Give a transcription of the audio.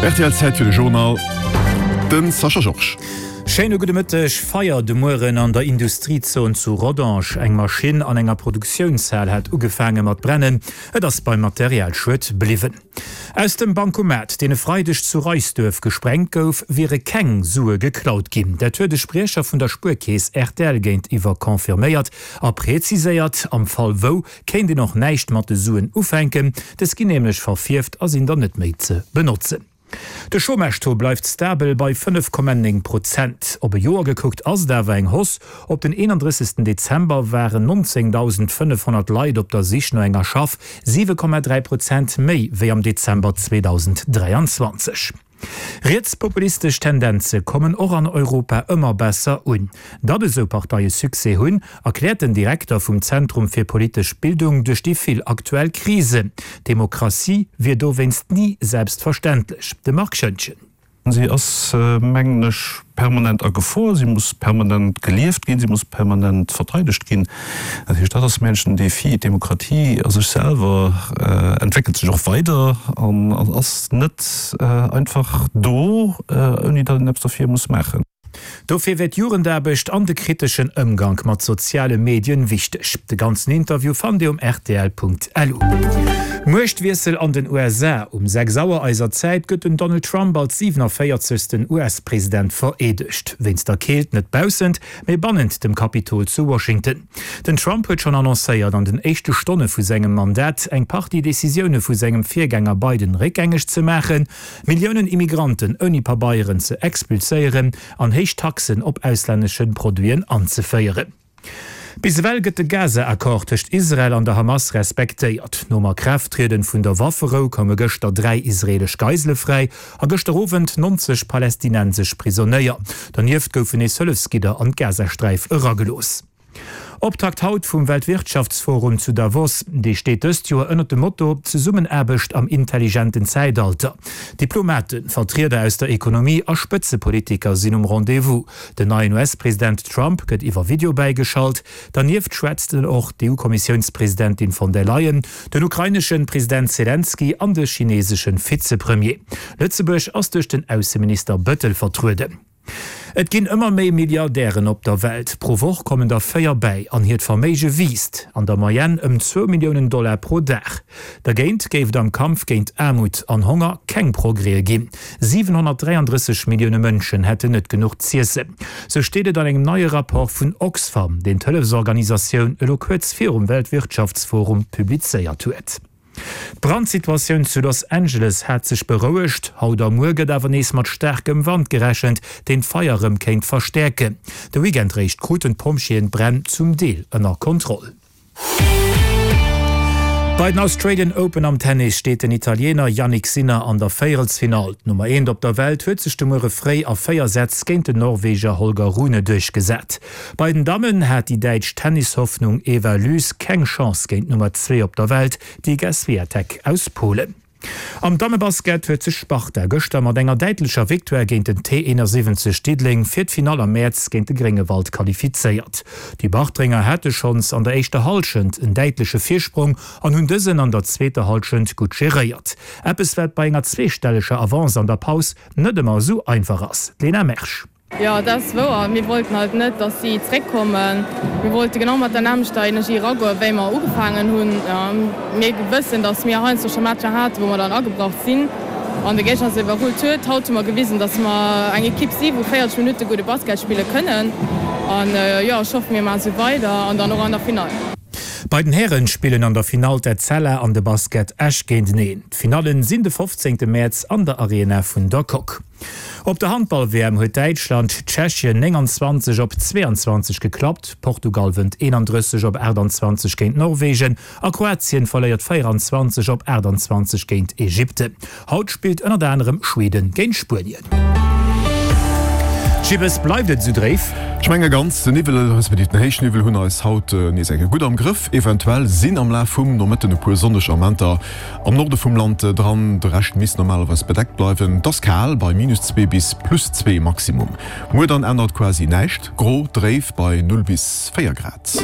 Rtl Zäit fir de Journal, de Sascha Georges. Schéine gudde Mëtteg. Feier de Mueren an der Industriezon zu Rodange. Eng Maschinn an enger Produktiounshal hat ugefaange mat brennen. Et ass beim Materialschued bliwwen. Aus dem Bancomat, deen e Freideg zu Reisduerf gesprengt gouf, wiere keng Sue geklaut ginn. Dat huet e Spriecher vun der Spuerkeess rtl géintiwwer confirméiert a preziséiert, am Fall wou, kéint een och näischt mat de Suen ufänken, dës ginn nämlech verfierft a sinn dann net méi ze benotzen. De Chômage-Taux bleift stabel bei 5,9 Prozent. Op e Joer gekuckt ass et awer eng Hausse. Op den 31. Dezember waren 19.500 Leit op der Sich no enger Schaff, 7,3 Prozent méi wéi am Dezember 2023. Rietspopulistesch Tendenze kommen och an Europa ëmmer besser un. Datt esou Parteie Succès hunn, erkläert den Direkter vum Zentrum fir politesch Bildung duerch déi vill aktuell Krisen. Demokratie wier dowéinst ni selbstverständlech. De Marc Schoentgen. Si ass, mengen ech, permanent a Gefor, si muss permanent gelieft ginn, si muss permanent verteidegt ginn. Dat heescht, dat ass mengen ech den Défi. D'Demokratie a sech selwer entwéckelt sech och weider an ass net einfach do, ouni datt een eppes derfir muss maachen. Dofir wär d'Jugendaarbecht an de kriteschen Ëmgank mat soziale Medien wichteg. De ganzen Interview fannt Dir um rtl.lu. Muechtwiessel an den USA, Um 6 Auer eiser Zäit gëtt den Donald Trump als 47. US-President vereedegt. Wéinst der Keelt net baussent, mee bannent dem Kapitol zu Washington. Den Trump huet schonn annoncéiert, an den éischte Stonne vu sengem Mandat eng Partie Decisioune vu sengem Virgänger Biden réckgängeg ze maachen, Milliounen Immigranten ouni Pabeieren ze expulséieren an héich Taxen op auslännesche Produiten anzeféieren. Bis ewell gëtt de Gaza-Accord tëscht Israel an der Hamas respektéiert. Nom A-Kraaft-Trieden vun der Wafferou koume gëschter 3 israeelesch Geisele fräi a gëschter Owend 90 palästinensesch Prisonéier. Donieft goufen nees Hëllefsgidder an d'Gazasträif eragelooss. Optakt haut vum Weltwirtschaftsforum zu Davos. Dee steet dëst Joer ënnert dem Motto Zesummenaarbecht am intelligenten Zäitalter. Diplomaten, Vertrieder aus der Ekonomie a Spëtzepolitiker sinn um Rendez-vous. Den neien US-President Trump gëtt iwwer Video bäigeschalt. Dernieft schwätzt en och d'EU-Kommissiounspresidentin von der Leyen, den ukraineschen President Selenskyj an de chineseschen Vizepremier. Lëtzebuerg ass duerch den Ausseminister Bëttel vertrueden. Et ginn ëmmer méi Milliardären op der Welt. Pro Woch kommen der 4 bäi an hiert Verméige wiisst an der Moyenne ëm zwou Milliounen Dollar pro Dag. Dergéint géif et am Kampf géint Aarmut an Honger keng Progrèse ginn. 733 Millioune Mënschen hätten net genuch z'iessen. Sou steet et an engem neie Rapport vun Oxfam, deen d'Hëllefsorganisatioun elo kuerz virum Weltwirtschaftsforum publizéiert huet. D'Brandsituatioun zu Los Angeles hat sech berouegt. Haut a muer gëtt awer nees mat staarkem Wand gerechent, deen d'Feier rëm kéint verstäerken. De Weekend réischt kruten d'Pompjeeën d'Bränn zum Deel ënner Kontroll. Bei den Australian Open am Tennis steet den Italiener Jannik Sinner an der Véierelsfinall. D'Nummer eent op der Welt huet sech de Muere fréi a 4 Sätz géint den Norweger Holger Rune duerchgesat. Bei den Dammen hat déi däitsch Tennishoffnung Eva Lys keng Chance géint d'Nummer 2 op der Welt, d'Iga Swiatek aus Polen. Am Dammebasket huet sech Sparta gëschter mat enger däitlecher Victoire géint den T 71 Diddeleng fir d'Finall am Mäerz géint de Gréngewald qualifizéiert. Déi Bartrenger hate schonns an der éischter Hallschent en däitleche Virsprong an hunn dësen an der zweeter Hallschent gutt geréiert. Eppes wat bei enger zweestelleger Avance an der Paus net ëmmer esou einfach ass. D'Lena Mersch. Jo, dat ass wouer. Mir wollten halt net, dass si zréckkommen. Mir wollte genau mat der nämmlechter Energie eragoen, wéi mer ugefaangen hunn. Mir wëssen, dass mir heiansdo scho Matcher haten, wou mer dann agebrach sinn an de Géigner se iwwerrullt huet. Haut hu mer gewisen, dass mer eng Ekipp si wou 40 Minutte gudde Basket spille kënnen. An jo, ech hoffen, mir maache sou weider an dann och an der Finall. Bei den Hären spillen an der Finall d'Etzella an de Basket Esch géinteneen. D'Finallen sinn de 15 Mäerz an der Arena vun der Coque. Op der Handball-WM huet Däitschland Tschechien 29 op 22 geklappt, Portugal wënnt 31 op 28 géint Norwegen a Kroatien verléiert 24 op 28 géint Ägypten. Haut spillt ënnert anerem Schweden géint Spuenien. Gibbes, bleift et esou dréif? Ech menge ganz, den Niwwel respektiv den Héichniwwel hunn eis haut nees eng Kéier gutt am Grëff. Eventuell sinn am Laf vum Nomëtten e puer sonneg Amenter Am Norde vum Land dran, de Rescht misst normalerweis bedeckt bleiwen. Et ass kal bei minus 2 bis plus 2 Maximum. Muer dann ännert quasi näischt, gro, dréif bei 0 bis 4 Grad.